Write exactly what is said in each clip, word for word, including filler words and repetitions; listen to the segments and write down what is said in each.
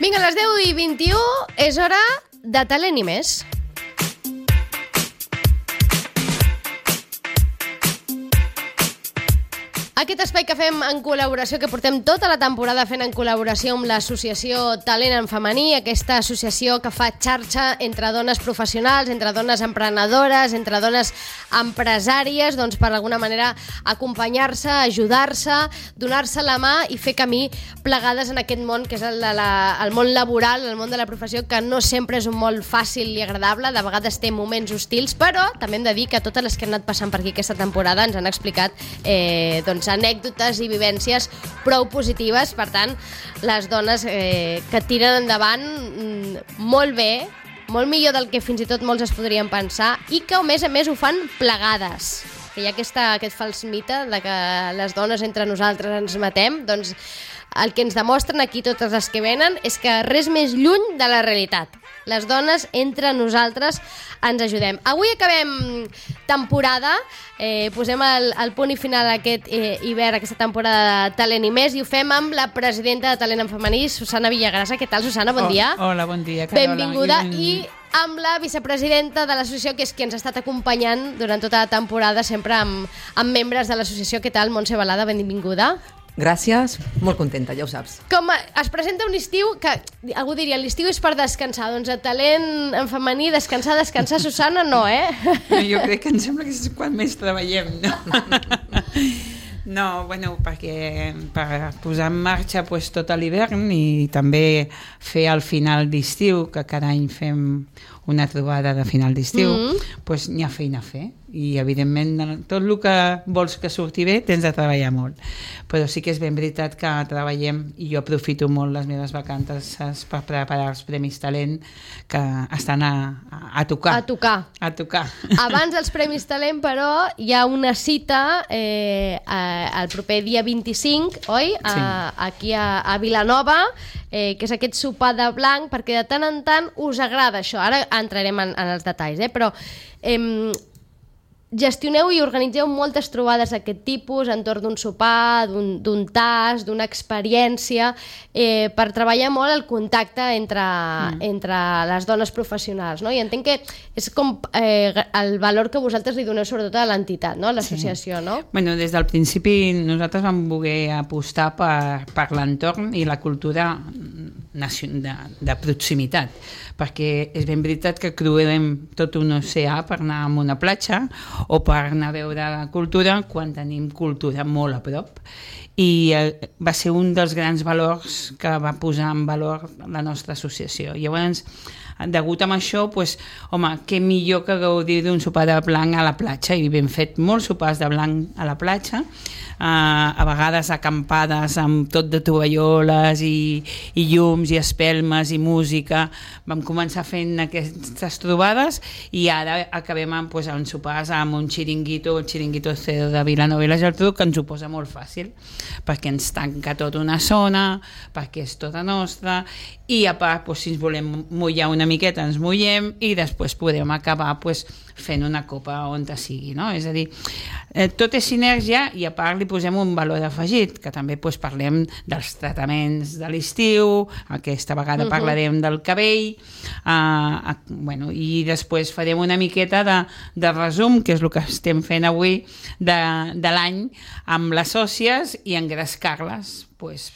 Vinga, a les deu i vint-i-u és hora de Talent i més. Aquest espai que fem en col·laboració, que portem tota la temporada fent en col·laboració amb l'associació Talent en Femení, aquesta associació que fa xarxa entre dones professionals, entre dones emprenedores, entre dones empresàries, doncs per alguna manera acompanyar-se, ajudar-se, donar-se la mà i fer camí plegades en aquest món que és el, de la, el món laboral, el món de la professió, que no sempre és un món fàcil i agradable, de vegades té moments hostils, però també hem de dir que totes les que han anat passant per aquí aquesta temporada ens han explicat eh, doncs, anècdotes i vivències prou positives. Per tant, les dones eh, que tiren endavant mm, molt bé, molt millor del que fins i tot molts es podrien pensar, i que a més a més ho fan plegades, que hi ha aquesta, aquest fals mite de que les dones entre nosaltres ens matem. Doncs el que ens demostren aquí totes les que venen és que res més lluny de la realitat. Les dones entre nosaltres ens ajudem. Avui acabem temporada, eh, posem el, el punt i final a aquest eh, hivern, aquesta temporada de Talent i més, i ho fem amb la presidenta de Talent en Femení, Susana Villagrasa. Què tal, Susana? Bon oh, dia. Hola, bon dia, Carola. Benvinguda. I, I amb la vicepresidenta de l'associació, que és qui ens ha estat acompanyant durant tota la temporada, sempre amb, amb membres de l'associació. Què tal, Montse Balada? Benvinguda. Gràcies, molt contenta, ja ho saps. Com es presenta un estiu que algú diria, l'estiu és per descansar, doncs a Talent en Femení, descansar, descansar, Susana, no, eh? No, jo crec que em sembla que és quan més treballem, no? No, bueno, perquè per posar en marxa pues, tot l'hivern i també fer al final d'estiu, que cada any fem una trobada de final d'estiu, mm-hmm. pues, n'hi ha feina a fer. I evidentment tot el que vols que surti bé tens de treballar molt, però sí que és ben veritat que treballem, i jo aprofito molt les meves vacances per preparar els Premis Talent, que estan a, a tocar a tocar a tocar abans dels Premis Talent, però hi ha una cita eh, el proper dia vint-i-cinc, oi? A, sí. Aquí a, a Vilanova, eh, que és aquest sopar de blanc, perquè de tant en tant us agrada això. Ara entrarem en, en els detalls, eh? Però eh, gestioneu i organitzeu moltes trobades d'aquest tipus entorn d'un sopar, d'un tas, d'una experiència, eh, per treballar molt el contacte entre, mm. entre les dones professionals, no? I entenc que és com eh, el valor que vosaltres li doneu sobretot a l'entitat, no? A l'associació, sí. No? Bueno, des del principi nosaltres vam voler apostar per, per l'entorn i la cultura de, de proximitat, perquè és ben veritat que creuem tot un oceà per anar a una platja o per anar a veure la cultura quan tenim cultura molt a prop. I eh, va ser un dels grans valors que va posar en valor la nostra associació. Llavors, degut a això, pues, home, què millor que gaudir d'un sopar de blanc a la platja, i hem fet molts sopars de blanc a la platja, uh, a vegades acampades amb tot de tovalloles i, i llums i espelmes i música. Vam començar fent aquestes trobades i ara acabem amb, pues, amb sopars amb un xiringuito, el xiringuito cero de Vilanova i la Geltrú, que ens ho posa molt fàcil, perquè ens tanca tota una zona, perquè és tota nostra, i a part, pues, si ens volem mullar una miqueta ens mullem i després podem acabar pues, fent una copa on sigui, no? És a dir, eh, tot és sinergia, i a part li posem un valor afegit, que també pues, parlem dels tractaments de l'estiu, aquesta vegada uh-huh. parlarem del cabell, eh, eh, bueno, i després farem una miqueta de, de resum, que és el que estem fent avui de, de l'any amb les sòcies, i engrescar-les pues,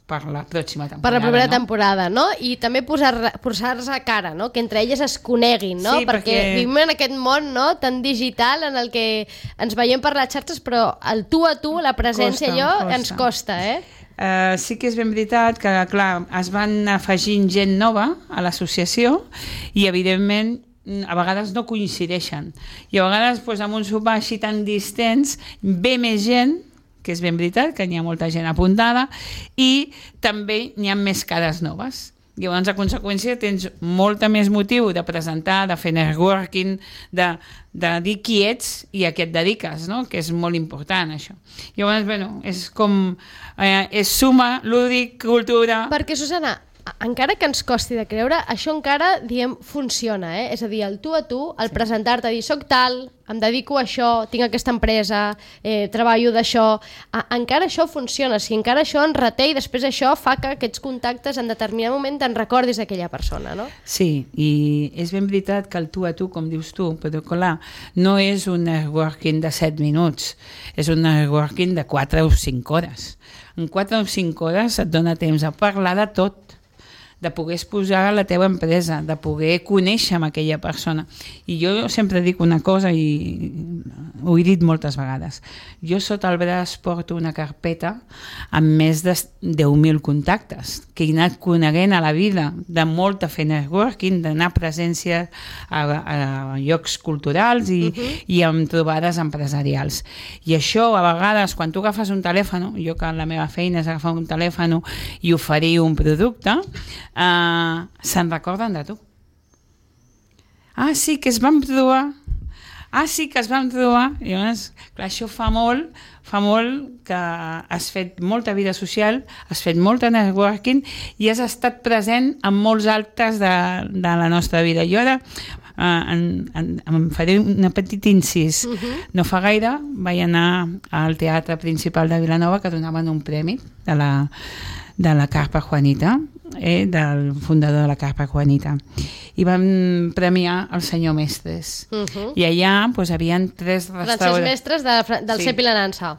per la pròxima temporada. Per la primera no? temporada, no? I també posar-se posar a cara, no? Que entre elles es coneguin, no? Sí, perquè... perquè vivim en aquest món, no? Tan digital en el que ens veiem per les xarxes, però el tu a tu, la presència, costa, allò, costa. ens costa, eh? Uh, sí que és ben veritat que, clar, es van afegint gent nova a l'associació i, evidentment, a vegades no coincideixen. I a vegades, doncs, amb un sopar així tan distants, ve més gent, que és ben veritat, que n'hi ha molta gent apuntada, i també n'hi ha més cares noves. Llavors, a conseqüència, tens molta més motiu de presentar, de fer networking, de, de dir qui ets i a què et dediques, no? Que és molt important, això. Llavors, bueno, és com... Eh, és suma, lúdic, cultura... Perquè, Susana, encara que ens costi de creure, això encara, diem, funciona, eh? És a dir, el tu a tu, el sí. presentar-te, dir, soc tal, em dedico a això, tinc aquesta empresa, eh, treballo d'això, encara això funciona, si encara això en reté i després això fa que aquests contactes en determinat moment te'n recordis d'aquella persona, no? Sí, i és ben veritat que el tu a tu, com dius tu, però clar, no és un networking de set minuts, és un networking de quatre o cinc hores. En quatre o cinc hores et dona temps a parlar de tot, de poder exposar la teva empresa, de poder conèixer amb aquella persona. I jo sempre dic una cosa, i ho he dit moltes vegades. Jo sota el braç porto una carpeta amb més de deu mil contactes, que he anat coneguent a la vida, de molt a fer networking, d'anar a presència a, a llocs culturals i, uh-huh. i amb trobades empresarials. I això, a vegades, quan tu agafes un telèfon, jo que la meva feina és agafar un telèfon i oferir un producte, Uh, se'n recorden de tu. Ah, sí, que es vam trobar. Ah, sí, que es vam trobar. I llavors, clar, això fa molt, fa molt que has fet molta vida social, has fet molta networking i has estat present en molts altres de, de la nostra vida. Jo ara uh, en, en, em faré un petit incís. Uh-huh. No fa gaire vaig anar al Teatre Principal de Vilanova, que donaven un premi de la, de la Carpa Juanita, Eh, del fundador de la Carpa Juanita, i vam premiar el senyor Mestres. Uh-huh. I allà pues, havien tres restaurants. Francesc Mestres de, del sí. Cepi la Nansa.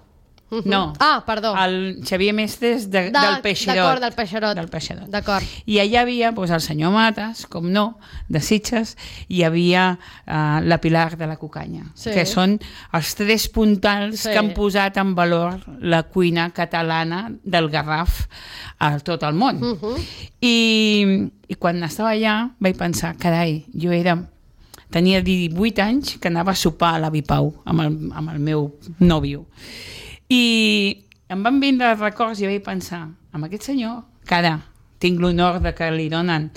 Uh-huh. No, ah, perdó. el Xavier Mestres de, de, del Peixerot. D'acord, del Peixerot. Del Peixerot. D'acord. I allà havia pues, el senyor Mates, com no, de Sitges, i hi havia uh, la Pilar de la Cucanya, sí. que són els tres puntals sí. que han posat en valor la cuina catalana del Garraf a tot el món. Uh-huh. I, I quan estava allà vaig pensar, carai, jo era... tenia divuit anys que anava a sopar a l'Avi Pau amb el, amb el meu nòvio. I em van vindre records i vaig pensar, amb aquest senyor, que ara tinc l'honor de que li donen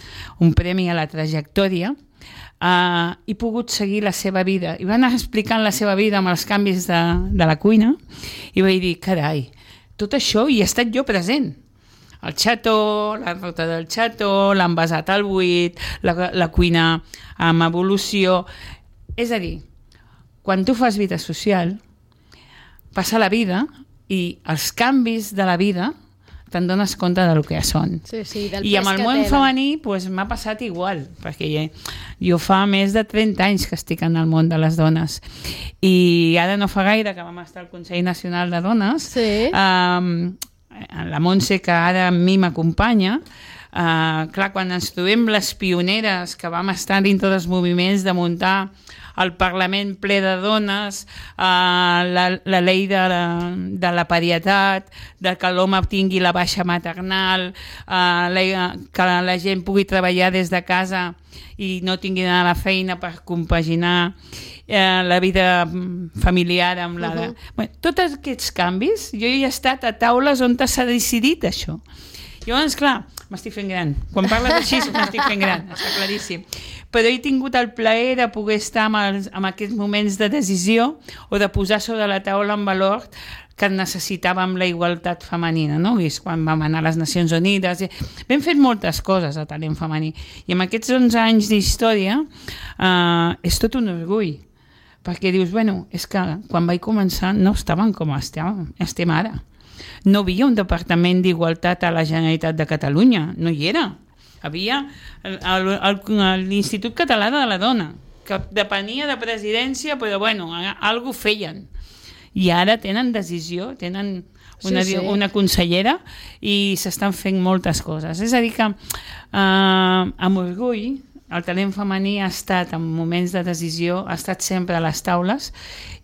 un premi a la trajectòria, uh, he pogut seguir la seva vida. I va anar explicant la seva vida amb els canvis de, de la cuina i vaig dir, carai, tot això hi he estat jo present. El xató, la ruta del xató, l'envasat al buit, la, la cuina amb evolució. És a dir, quan tu fas vida social, passa la vida i els canvis de la vida te'n dones compte del que són. Sí, sí, del I amb el món femení pues, m'ha passat igual, perquè jo fa més de trenta anys que estic en el món de les dones. I ara no fa gaire que vam estar al Consell Nacional de Dones, sí. um, la Montse, que ara amb mi m'acompanya, uh, clar, quan ens trobem les pioneres que vam estar dintre dels moviments de muntar el Parlament ple de dones, uh, la, la llei de la, de la parietat, de que l'home tingui la baixa maternal, uh, la, que la gent pugui treballar des de casa i no tingui d'anar a la feina per compaginar eh, la vida familiar amb la... Uh-huh. Bueno, tots aquests canvis, jo he estat a taules on s'ha decidit això. Llavors, clar, m'estic fent gran. Quan parles així m'estic fent gran, està claríssim. Però he tingut el plaer de poder estar en, els, en aquests moments de decisió o de posar sobre la taula en valor que necessitàvem la igualtat femenina, no? I és quan vam anar a les Nacions Unides. Vam fet moltes coses a talent femení. I en aquests onze anys d'història eh, és tot un orgull. Perquè dius, bueno, és que quan vaig començar no estaven com estem, estem ara. No havia un departament d'igualtat a la Generalitat de Catalunya, no hi era. Havia l'Institut Català de la Dona, que depenia de presidència, però bueno, alguna cosa feien. I ara tenen decisió, tenen una, sí, sí. una consellera i s'estan fent moltes coses. És a dir que eh, amb orgull el talent femení ha estat en moments de decisió, ha estat sempre a les taules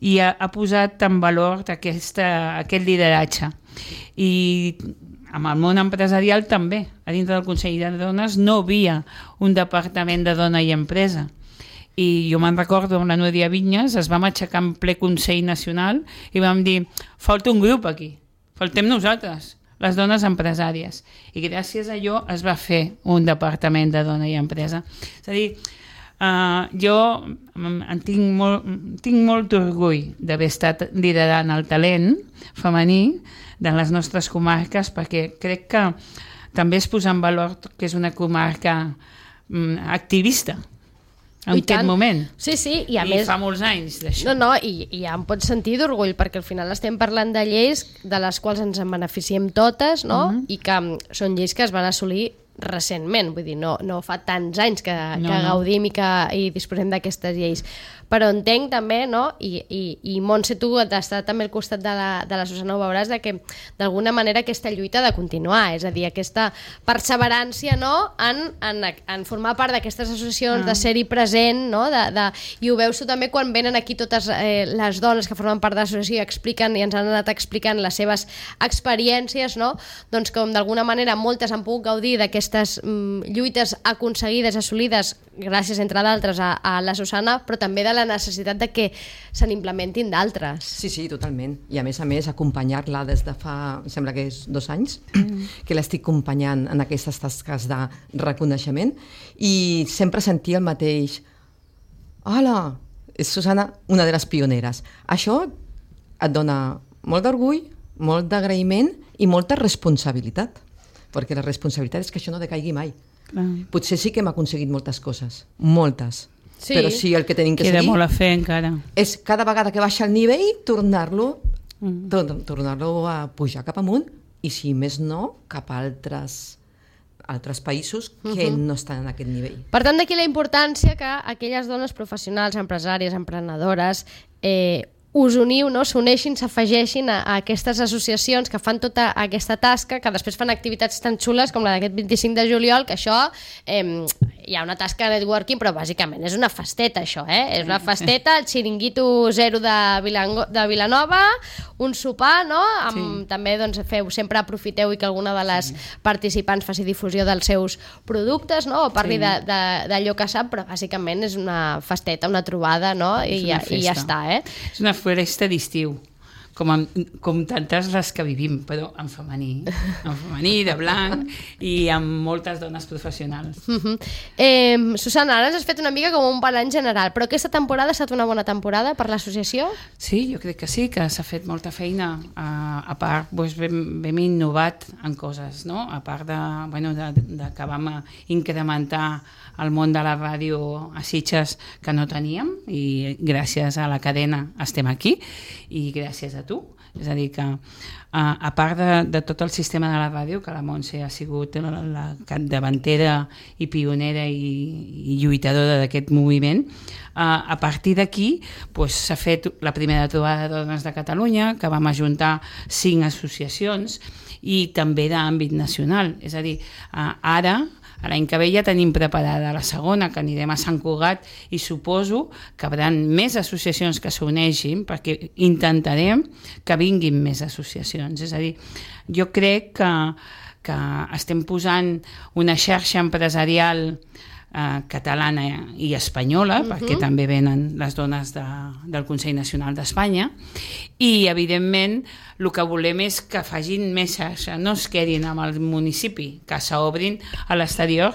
i ha, ha posat en valor aquesta, aquest lideratge. I amb el món empresarial també, a dintre del Consell de Dones no havia un departament de dona i empresa. I jo me'n recordo amb la Núria Vinyes, es vam aixecar en ple Consell Nacional i vam dir, falta un grup aquí, faltem nosaltres, les dones empresàries. I gràcies a allò es va fer un departament de dona i empresa. És a dir, uh, jo en tinc molt, tinc molt orgull d'haver estat liderant el talent femení de les nostres comarques, perquè crec que també és posar en valor que és una comarca mm, activista en aquest moment. Sí, sí, i a I més... fa molts anys d'això. No, no, i, i ja em pots sentir d'orgull, perquè al final estem parlant de lleis de les quals ens en beneficiem totes, no? Uh -huh. I que són lleis que es van assolir recentment, vull dir, no, no fa tants anys que, no, que no. gaudim i que i disposem d'aquestes lleis. Però entenc també, no? I, i, i Montse, tu d'estar també al costat de la, de la Susana ho veuràs, de que d'alguna manera aquesta lluita ha de continuar, és a dir, aquesta perseverància, no? en, en, en formar part d'aquestes associacions, ah. de ser-hi present, no? De, de, i ho veus tu també quan venen aquí totes eh, les dones que formen part de l'associació i expliquen i ens han anat explicant les seves experiències, no? Doncs com d'alguna manera moltes han pogut gaudir d'aquestes mm, lluites aconseguides, assolides, gràcies entre d'altres a, a la Susana, però també de la necessitat de que se n'implementin d'altres. Sí, sí, totalment. I a més a més, acompanyar-la des de fa, em sembla que és dos anys, mm. que l'estic acompanyant en aquestes tasques de reconeixement i sempre sentir el mateix. Hola, és Susana, una de les pioneres. Això et dona molt d'orgull, molt d'agraïment i molta responsabilitat, perquè la responsabilitat és que això no decaigui mai. Clar. Potser sí que hem aconseguit moltes coses, moltes, sí. però sí el que tenim que Queda seguir molt a fer encara. és cada vegada que baixa el nivell tornar-lo Mm. tor- tornar-lo a pujar cap amunt i si més no cap a altres, altres països que Mhm. no estan en aquest nivell. Per tant, d'aquí la importància que aquelles dones professionals, empresàries, emprenedores, eh, us uniu, no? S'uneixin, s'afegeixin a, a aquestes associacions que fan tota aquesta tasca, que després fan activitats tan xules com la d'aquest vint-i-cinc de juliol, que això, eh, hi ha una tasca de networking, però bàsicament és una festeta, això, eh? És una festeta, el xiringuito zero de, Vilango, de Vilanova, un sopar, no? Amb, Sí. També doncs, feu, sempre aprofiteu i que alguna de les sí. participants faci difusió dels seus productes, no? O parli Sí. de, de, d'allò que sap, però bàsicament és una festeta, una trobada, no? I, una ja, i ja festa. està, eh? És una festa d'estiu, com, en, com tantes les que vivim, però en femení, en femení, de blanc, i amb moltes dones professionals. Uh -huh. eh, Susana, ara ens has fet una mica com un balanç general, però aquesta temporada ha estat una bona temporada per l'associació? Sí, jo crec que sí, que s'ha fet molta feina. A, a part, doncs, vam, vam innovat en coses, no? A part de, bueno, de, de que vam incrementar el món de la ràdio a Sitges que no teníem, i gràcies a la cadena estem aquí, i gràcies a tu. És a dir que, a, a part de, de tot el sistema de la ràdio, que la Montse ha sigut la, la capdavantera i pionera i, i lluitadora d'aquest moviment, a, a partir d'aquí pues, s'ha fet la primera trobada de dones de Catalunya, que vam ajuntar cinc associacions, i també d'àmbit nacional. És a dir, a, ara l'any que ve ja tenim preparada la segona, que anirem a Sant Cugat, i suposo que hi haurà més associacions que s'uneixin, perquè intentarem que vinguin més associacions. És a dir, jo crec que, que estem posant una xarxa empresarial eh, catalana i espanyola, uh-huh. perquè també venen les dones de, del Consell Nacional d'Espanya, i evidentment el que volem és que facin més xarxa, no es quedin amb el municipi, que s'obrin a l'exterior.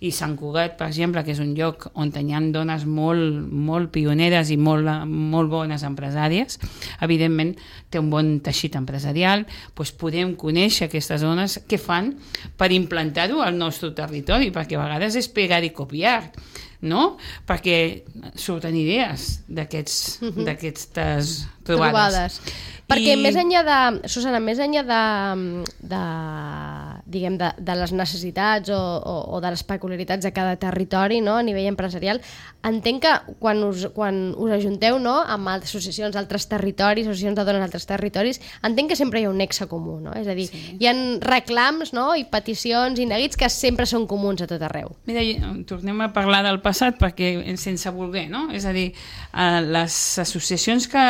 I Sant Cugat, per exemple, que és un lloc on hi ha dones molt, molt pioneres i molt, molt bones empresàries, evidentment té un bon teixit empresarial, doncs podem conèixer aquestes dones que fan per implantar-ho al nostre territori, perquè a vegades és pegar i copiar, no? Perquè surten idees d'aquests, uh-huh. d'aquestes trobades. trobades. Perquè I... més enllà de, Susana, més enllà de, de, diguem, de, de les necessitats o, o, o de les peculiaritats de cada territori, no? A nivell empresarial, entenc que quan us, quan us ajunteu, no? Amb altres associacions d'altres territoris, associacions de dones d'altres territoris, entenc que sempre hi ha un nexe comú, no? És a dir, sí. hi ha reclams, no? I peticions i neguits que sempre són comuns a tot arreu. Mira, tornem a parlar del passat perquè sense voler, no? És a dir, les associacions que,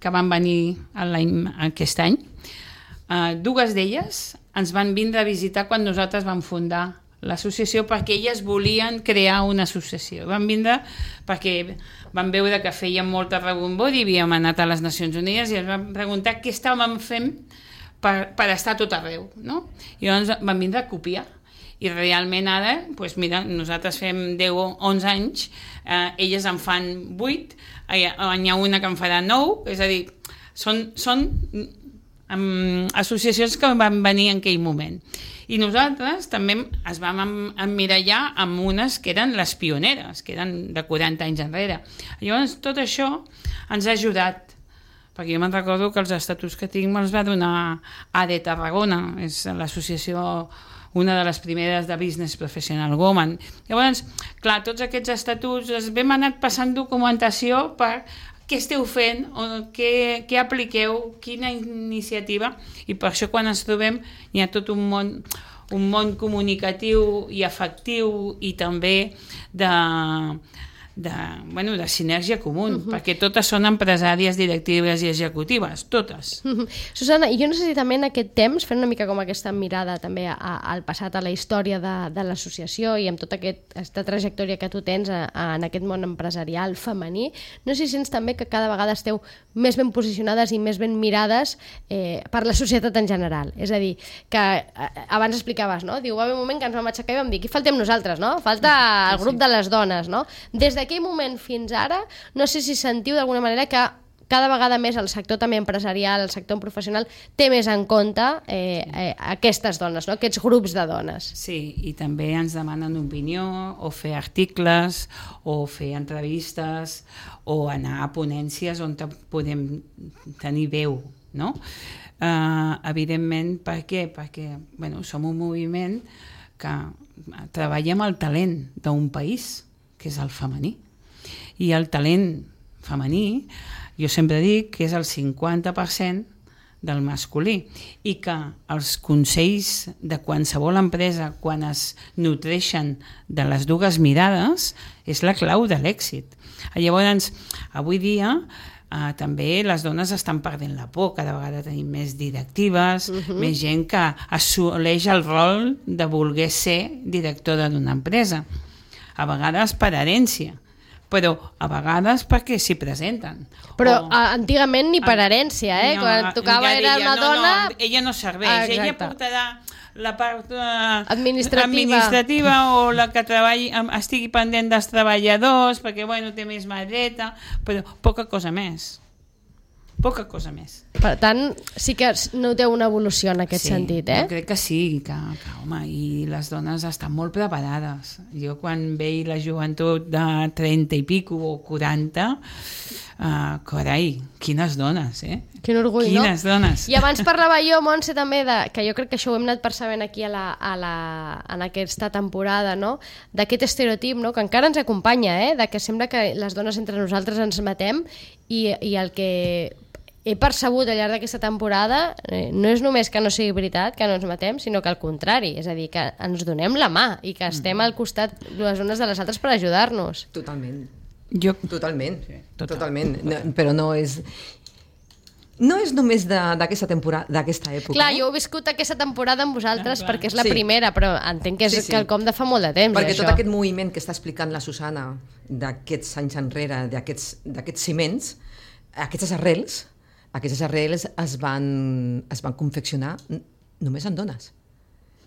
que van venir l'any, aquest any, dues d'elles ens van vindre a visitar quan nosaltres vam fundar l'associació, perquè elles volien crear una associació. Van vindre perquè van veure que fèiem molta rebombor i havíem anat a les Nacions Unides i ens van preguntar què estàvem fent per, per estar a tot arreu, no? I llavors van vindre a copiar. I realment ara, doncs mira, nosaltres fem deu o onze anys, eh, elles en fan vuit, hi ha una que en farà nou, és a dir, són, són amb associacions que van venir en aquell moment. I nosaltres també es vam emmirallar amb unes que eren les pioneres, que eren de quaranta anys enrere. Llavors, tot això ens ha ajudat, perquè jo me'n recordo que els estatuts que tinc me'ls va donar A D Tarragona, és l'associació, una de les primeres de Business Professional Women. Llavors, clar, tots aquests estatuts els vam anat passant documentació per què esteu fent, o què, què apliqueu, quina iniciativa, i per això quan ens trobem hi ha tot un món, un món comunicatiu i afectiu i també de, de, bueno, de sinergia comú, uh-huh. perquè totes són empresàries, directives i executives, totes. Uh-huh. Susana, i jo no sé si també en aquest temps, fent una mica com aquesta mirada també a, a, al passat, a la història de, de l'associació i amb tota aquest, aquesta trajectòria que tu tens a, a, en aquest món empresarial femení, no sé si sents també que cada vegada esteu més ben posicionades i més ben mirades eh, per la societat en general. És a dir, que eh, abans explicaves, no? Diu, va haver un moment que ens vam aixecar i vam dir, qui faltem nosaltres, no? Falta el grup de les dones, no? Des d'aquell moment fins ara, no sé si sentiu d'alguna manera que cada vegada més el sector també empresarial, el sector professional, té més en compte eh, eh, aquestes dones, no? Aquests grups de dones. Sí, i també ens demanen opinió, o fer articles, o fer entrevistes, o anar a ponències on podem tenir veu, no? Uh, evidentment, per què? Perquè bueno, som un moviment que treballem el talent d'un país, que és el femení. I el talent femení, jo sempre dic que és el cinquanta per cent del masculí i que els consells de qualsevol empresa, quan es nutreixen de les dues mirades, és la clau de l'èxit. Llavors, avui dia, eh, també les dones estan perdent la por, cada vegada tenim més directives, uh-huh. més gent que assoleix el rol de voler ser directora d'una empresa. A vegades per herència, però a vegades perquè s'hi presenten. Però o, antigament ni per herència, eh? No, quan tocava era una no, dona... No, ella no serveix, ah, ella portarà la part uh, administrativa. administrativa o la que treballi, estigui pendent dels treballadors, perquè bueno, té més mà dreta, però poca cosa més. Poca cosa més. Per tant, sí que noteu una evolució en aquest sí, sentit, eh? Jo crec que sí, que, que home, i les dones estan molt preparades. Jo quan veig la joventut de trenta i pico o quaranta, uh, carai, quines dones, eh? Quin orgull, quines no? dones. I abans parlava jo, Montse, també, de, que jo crec que això ho hem anat percebent aquí a la, a la, en aquesta temporada, no? D'aquest estereotip, no? Que encara ens acompanya, eh? De que sembla que les dones entre nosaltres ens matem i, i el que he percebut al llarg d'aquesta temporada eh, no és només que no sigui veritat, que no ens matem, sinó que al contrari, és a dir, que ens donem la mà i que estem al costat les unes de les altres per ajudar-nos. Totalment. Jo... Totalment, sí, total. totalment. No, però no és... No és només d'aquesta temporada, d'aquesta època. Clar, jo he viscut aquesta temporada amb vosaltres ah, perquè és la sí. primera, però entenc que és sí, sí. quelcom de fa molt de temps. Perquè això. Tot aquest moviment que està explicant la Susana d'aquests anys enrere, d'aquests ciments, aquestes arrels, aquestes arrels es van, es van confeccionar només en dones.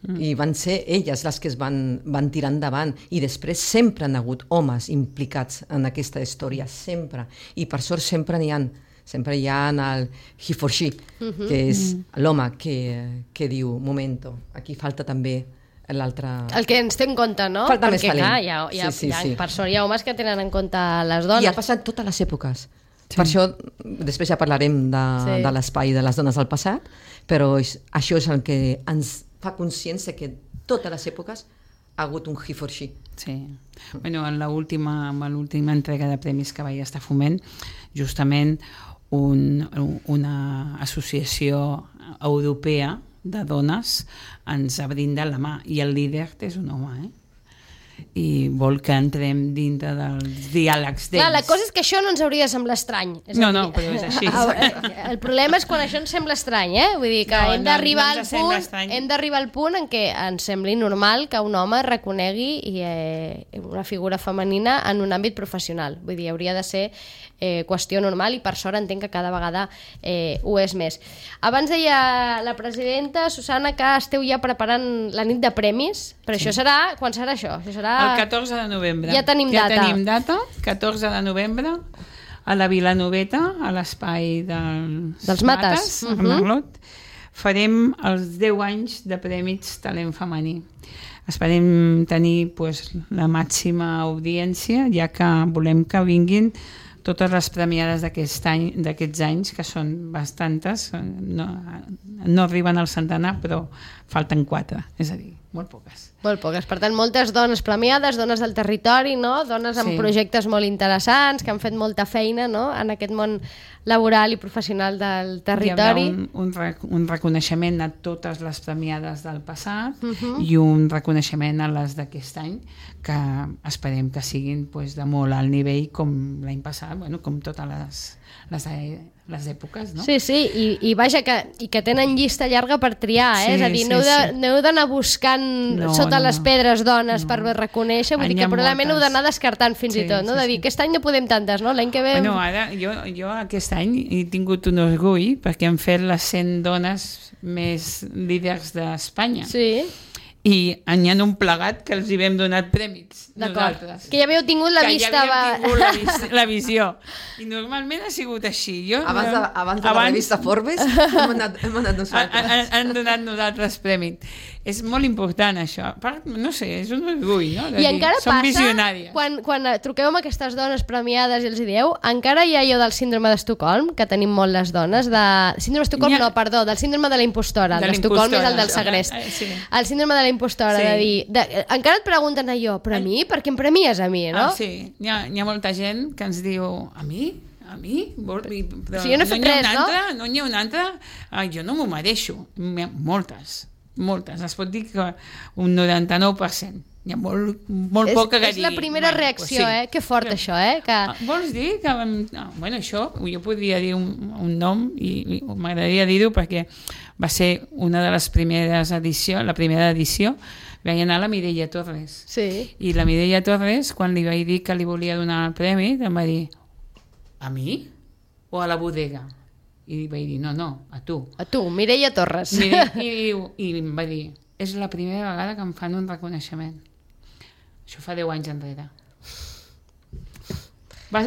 Mm. I van ser elles les que es van, van tirar endavant. I després sempre han hagut homes implicats en aquesta història, sempre. I per sort sempre n'hi ha. Sempre hi ha el he for she, mm-hmm. que és l'home que, que diu, momento, aquí falta també l'altre... El que ens té en compte, no? Falta Perquè, més talent. Clar, hi ha, hi ha, sí, sí, hi ha, sí. per sort hi ha homes que tenen en compte les dones. I ha passat totes les èpoques. Sí. Per això, després ja parlarem de, sí. de l'espai de les dones del passat, però és, això és el que ens fa consciència que totes les èpoques ha hagut un he for she. Sí. Bueno, en l'última en l'última entrega de premis que vaig estar foment, justament un, una associació europea de dones ens ha brindat la mà i el líder és un home, eh? I vol que entrem dintre dels diàlegs d'ells. Clar, la cosa és que això no ens hauria de semblar estrany. És no, dir, no, però és així. El problema és quan això ens sembla estrany, eh? Vull dir que no, hem d'arribar no, no al punt, hem d'arribar al punt en què ens sembli normal que un home reconegui eh, una figura femenina en un àmbit professional. Vull dir, hauria de ser eh, qüestió normal i per sort entenc que cada vegada eh, ho és més. Abans deia la presidenta, Susana, que esteu ja preparant la nit de premis, però sí. Això serà... Quan serà això? Això serà... El catorze de novembre. Ja tenim ja data. Ja tenim data, catorze de novembre, a la Vilanoveta, a l'espai del... dels Mates, a Merlot, farem els deu anys de Premis Talent Femení. Esperem tenir pues, la màxima audiència, ja que volem que vinguin totes les premiades d'aquest any, d'aquests anys, que són bastantes, no, no arriben al centenar, però falten quatre, és a dir, molt poques. Molt poques. Per tant, moltes dones premiades, dones del territori, no? Dones amb Sí. projectes molt interessants, que han fet molta feina, no? En aquest món laboral i professional del territori. Hi haurà un, un, rec un reconeixement a totes les premiades del passat uh-huh. i un reconeixement a les d'aquest any, que esperem que siguin pues, de molt alt nivell com l'any passat, bueno, com totes les, les, les èpoques, no? Sí, sí, i, i vaja, que, i que tenen llista llarga per triar, eh? Sí, És a dir, sí, no heu de- sí. no heu d'anar buscant No, sota no, les no. pedres dones No. per reconèixer, vull Ah, dir n'hi que ha probablement heu moltes. d'anar descartant fins Sí, i tot, no? sí, De dir, sí. aquest any no podem tantes, no? L'any que ve... Bueno, ara, jo, jo aquest any he tingut un orgull perquè hem fet les cent dones més líders d'Espanya. Sí, I n'hi ha un plegat que els hi vam donar prèmits, d'acord. nosaltres. Que ja havíeu tingut la que vista... ja havíem va- tingut la, vis la visió. I normalment ha sigut així. Jo, Abans de, abans de la revista Forbes hem anat, hem anat han, nosaltres. han, han donat nosaltres prèmit. És molt important això. A part, no sé, és un orgull, no? De I dir, encara som passa, visionàries. quan, quan eh, truqueu amb aquestes dones premiades i els hi dieu, encara hi ha allò del síndrome d'Estocolm, que tenim molt les dones, de... Síndrome d'Estocolm, N'hi ha- no, perdó, del síndrome de la impostora. De El d'Estocolm és el del l'impostora, segrest. eh, sí. El síndrome de la impostora, Sí. de dir... De, eh, encara et pregunten allò, però a mi? Per què em premies a mi, no? Ah, sí, hi ha, hi ha molta gent que ens diu a mi? A mi? Vol, i- però O sigui, jo no he fet n'hi ha res, una no? Altra? No n'hi ha una altra? Ah, jo no m'ho mereixo. N'hi ha moltes, moltes. Es pot dir que un noranta-nou per cent. Hi ha molt, molt és, poca que és la digui, primera bueno, reacció, pues sí. eh? Que fort, això, eh? Que... Ah, vols dir que... vam- Ah, bueno, això, jo podria dir un, un nom i, i m'agradaria dir-ho perquè va ser una de les primeres edicions, la primera edició, va anar la Mireia Torres. Sí. I la Mireia Torres, quan li vaig dir que li volia donar el premi, em va dir, a mi o a la bodega? I vaig dir, no, no, a tu. A tu, Mireia Torres. Mire, i, diu, I em va dir, és la primera vegada que em fan un reconeixement. Això fa deu anys enrere. Va,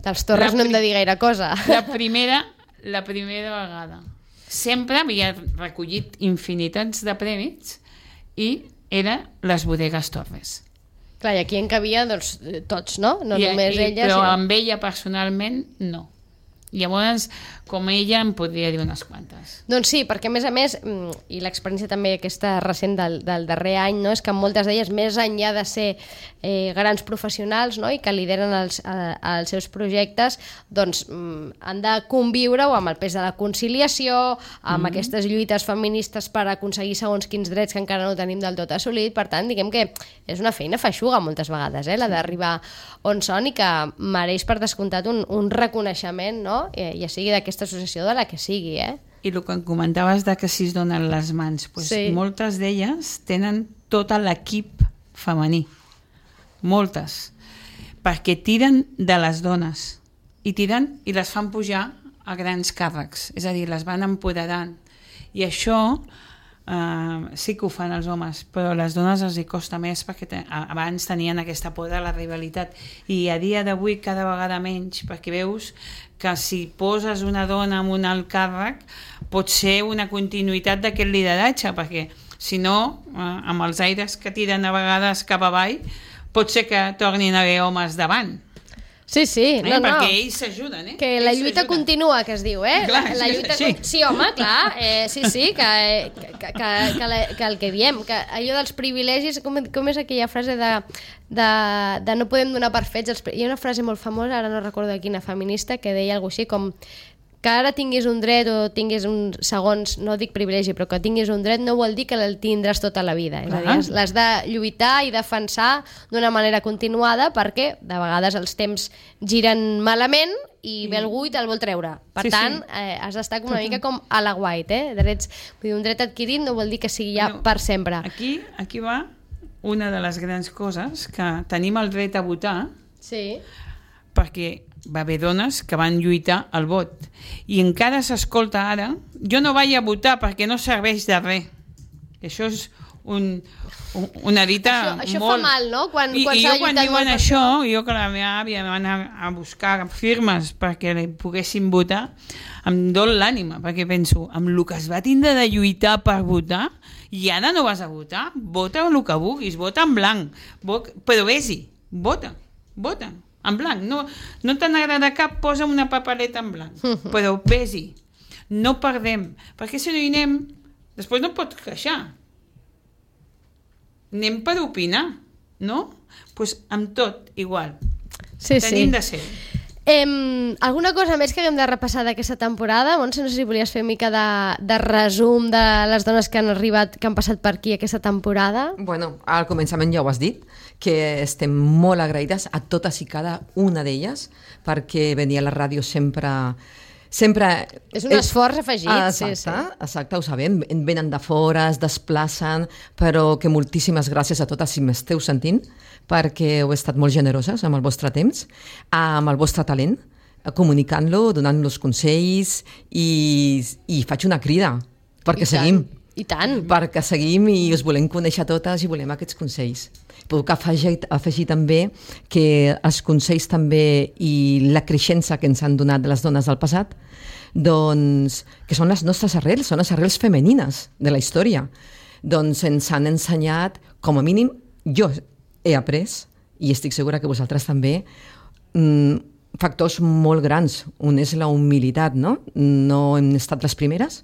Dels Torres la no hem de pri- dir gaire cosa. La primera, la primera vegada. Sempre havia recollit infinitats de prèmits i era les bodegues Torres. Clar, i aquí en cabia doncs, eh, tots, no? No I, només i, ella. Però sinó- amb ella personalment no. Llavors, com ella em podria dir unes quantes. Doncs sí, perquè a més a més, mm, i l'experiència també aquesta recent del, del darrer any, no, és que moltes d'elles, més enllà de ser eh, grans professionals, no, i que lideren els, eh, els seus projectes, doncs mm, han de conviure o amb el pes de la conciliació, amb mm. aquestes lluites feministes per aconseguir segons quins drets que encara no tenim del tot assolit. Per tant, diguem que és una feina feixuga moltes vegades, eh, la d'arribar on són, i que mereix per descomptat un, un reconeixement, no? Ja sigui d'aquesta associació de la que sigui, eh? I el que em comentaves de que si es donen les mans, pues Sí. moltes d'elles tenen tot l'equip femení. Moltes. Perquè tiren de les dones. I tiren i les fan pujar a grans càrrecs. És a dir, les van empoderant. I això Uh, sí que ho fan els homes, però a les dones els hi costa més perquè te, abans tenien aquesta por de la rivalitat i a dia d'avui cada vegada menys, perquè veus que si poses una dona en un alt càrrec pot ser una continuïtat d'aquest lideratge, perquè si no, uh, amb els aires que tiren a vegades cap avall, pot ser que tornin a haver homes davant. Sí, sí, Eh? no, no. Perquè ells s'ajuden, eh? Que ells la lluita s'ajuden. continua, que es diu, eh? Clar, la, la sí, lluita sí. con- sí, home, clar, eh, sí, sí, que, que, que, que, la, que el que diem, que allò dels privilegis, com, com és aquella frase de, de, de no podem donar per fets els... pri- Hi ha una frase molt famosa, ara no recordo de quina feminista, que deia alguna així com que ara tinguis un dret o tinguis un segons, no dic privilegi, però que tinguis un dret no vol dir que el tindràs tota la vida. És a dir, Clar. l'has de lluitar i defensar d'una manera continuada perquè de vegades els temps giren malament i ve algú i te'l vol treure. Per Sí, tant, sí. eh, has d'estar com una mica com a la white, eh? Drets, vull dir, un dret adquirit no vol dir que sigui ja Bueno, per sempre. Aquí, aquí va una de les grans coses, que tenim el dret a votar Sí. perquè va haver dones que van lluitar al vot. I encara s'escolta ara, jo no vaig a votar perquè no serveix de res. Això és un, un, una dita això, això molt... fa mal, no? Quan, I, quan i s'ha jo quan lluitat diuen molt per això, jo que la meva àvia va anar a buscar firmes perquè li poguessin votar, em dol l'ànima, perquè penso, amb el que es va tindre de lluitar per votar, i ara no vas a votar, vota el que vulguis, vota en blanc, vot, però vés-hi, vota, vota, en blanc. No, no te n'agrada cap, posa una papereta en blanc, però vés-hi. No perdem, perquè si no hi anem, després no pots queixar. Anem per opinar, no? Doncs pues amb tot, igual. Sí, Tenim sí. de ser. Em, alguna cosa més que haguem de repassar d'aquesta temporada? Montse, no sé si volies fer una mica de, de resum de les dones que han arribat, que han passat per aquí aquesta temporada. Bueno, al començament ja ho has dit, que estem molt agraïdes a totes i cada una d'elles, perquè venir a la ràdio sempre... sempre és un esforç afegit. Ah, exacte, sí, sí. exacte, ho sabem. Venen de fora, es desplacen, però que moltíssimes gràcies a totes si m'esteu sentint, perquè heu estat molt generoses amb el vostre temps, amb el vostre talent, comunicant-lo, donant-los consells, i, i faig una crida, perquè I seguim. Tant. I tant. Perquè seguim i us volem conèixer totes i volem aquests consells. Puc afegir, afegir també que els consells també i la creixença que ens han donat les dones del passat, doncs, que són les nostres arrels, són les arrels femenines de la història. Doncs ens han ensenyat, com a mínim, jo he après, i estic segura que vosaltres també, mmm, factors molt grans. Un és la humilitat, no? No hem estat les primeres.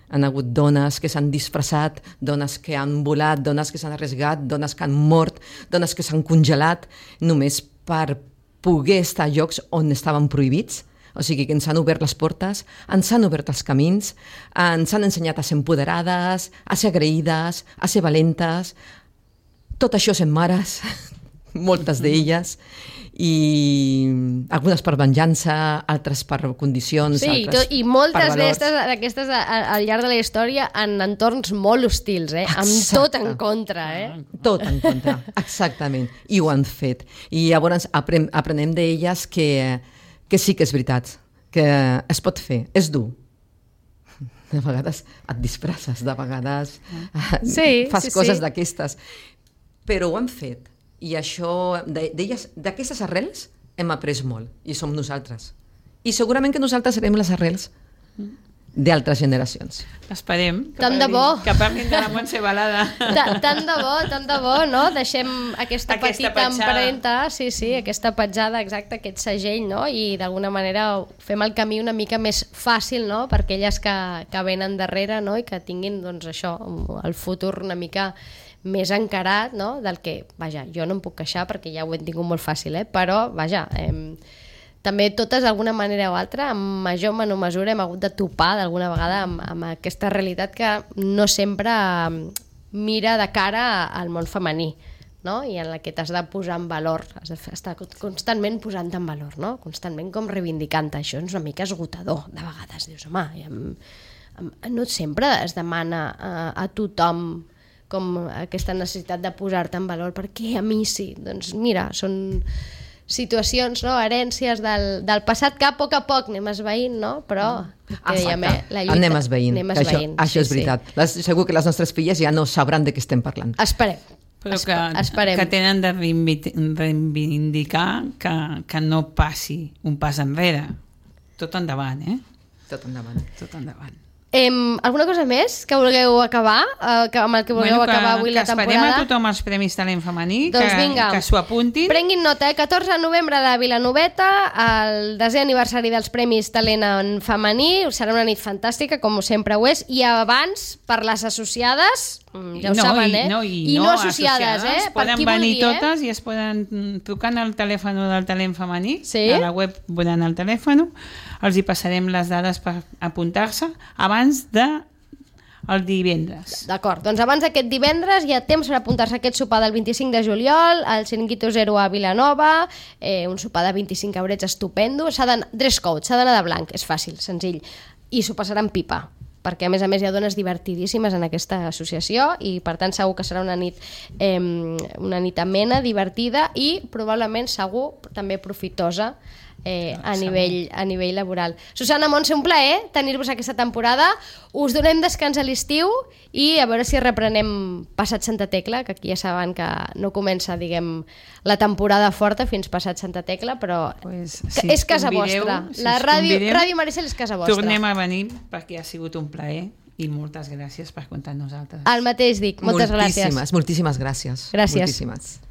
Han hagut dones que s'han disfressat, dones que han volat, dones que s'han arriesgat, dones que han mort, dones que s'han congelat, només per poder estar a llocs on estaven prohibits. O sigui que ens han obert les portes, ens han obert els camins, ens han ensenyat a ser empoderades, a ser agraïdes, a ser valentes. Tot això sent mares, moltes d'elles, i algunes per venjança, altres per condicions, Sí, altres tot, i moltes per valors. d'aquestes al llarg de la història en entorns molt hostils, eh? Amb Exacte. tot en contra. Eh? Tot en contra, exactament. I ho han fet. I llavors aprem, aprenem d'elles que, que sí que és veritat, que es pot fer, és dur. De vegades et disfresses, de vegades Sí, fas sí, coses sí. d'aquestes. Però ho han fet. I això, d'elles, d'aquestes arrels, hem après molt. I som nosaltres. I segurament que nosaltres serem les arrels d'altres generacions. Esperem que Tant de parlin, bo. que parlin de la Montse Balada. Ta- Tant de bo, tant de bo, no? Deixem aquesta, Aquesta petita petjada. empremta, sí, sí, aquesta petjada, exacte, aquest segell, no? I d'alguna manera fem el camí una mica més fàcil, no? Per aquelles que, que venen darrere, no? I que tinguin, doncs, això, el futur una mica més encarat, no? Del que, vaja, jo no em puc queixar perquè ja ho he tingut molt fàcil, eh? Però, vaja, eh, també totes d'alguna manera o altra, en major o menor mesura, hem hagut de topar d'alguna vegada amb, amb aquesta realitat que no sempre mira de cara al món femení, no? I en la que t'has de posar en valor, has d'estar constantment posant en valor, no? Constantment com reivindicant. Això és una mica esgotador, de vegades. Dius, home, amb, amb, no sempre es demana a, a tothom com aquesta necessitat de posar-te en valor, perquè a mi sí. Doncs mira, són situacions, no? Herències del, del passat que a poc a poc anem esveint, no? Però que dèiem, eh? La lluita, anem esveint. anem Això, esveint. això és veritat. Sí. Les, segur que les nostres filles ja no sabran de què estem parlant. Esperem. Però Espe que, esperem. que tenen de reivindic- reivindicar que, que no passi un pas enrere. Tot endavant, eh? Tot endavant. Tot endavant. Em, alguna cosa més que vulgueu acabar? Eh, que, amb el que vulgueu Bueno, que, acabar avui que la esperem temporada? a tothom els Premis Talent Femení, Doncs que, vinga. que s'ho apuntin. Prenguin nota, eh? catorze de novembre a la Vilanoveta, el desè aniversari dels Premis Talent en Femení, serà una nit fantàstica, com sempre ho és, i abans, per les associades, mm, ja ho no, saben, i, eh? no, i, I no, associades, eh? Per Poden qui venir vulgui, totes i es poden mm, trucar al telèfon del talent femení, Sí? a la web veuran el telèfon, els hi passarem les dades per apuntar-se abans de el divendres. D'acord, doncs abans d'aquest divendres hi ha temps per apuntar-se a aquest sopar del vint-i-cinc de juliol, al Chiringuito Zero a Vilanova, eh, un sopar de vint-i-cinc eurets estupendo, s'ha d'anar, dress code, s'ha d'anar de blanc, és fàcil, senzill, i s'ho passaran pipa, perquè a més a més hi ha dones divertidíssimes en aquesta associació i per tant segur que serà una nit, eh, una nit amena, divertida i probablement segur també profitosa eh, a, nivell, a nivell laboral. Susana, Montse, un plaer tenir-vos aquesta temporada. Us donem descans a l'estiu i a veure si reprenem passat Santa Tecla, que aquí ja saben que no comença, diguem, la temporada forta fins passat Santa Tecla, però pues, si si és casa convideu, vostra. Si la ràdio, ràdio Maricel és casa vostra. Tornem a venir perquè ha sigut un plaer i moltes gràcies per comptar amb nosaltres. El mateix dic, moltes moltíssimes, gràcies. Moltíssimes gràcies. Gràcies. Moltíssimes.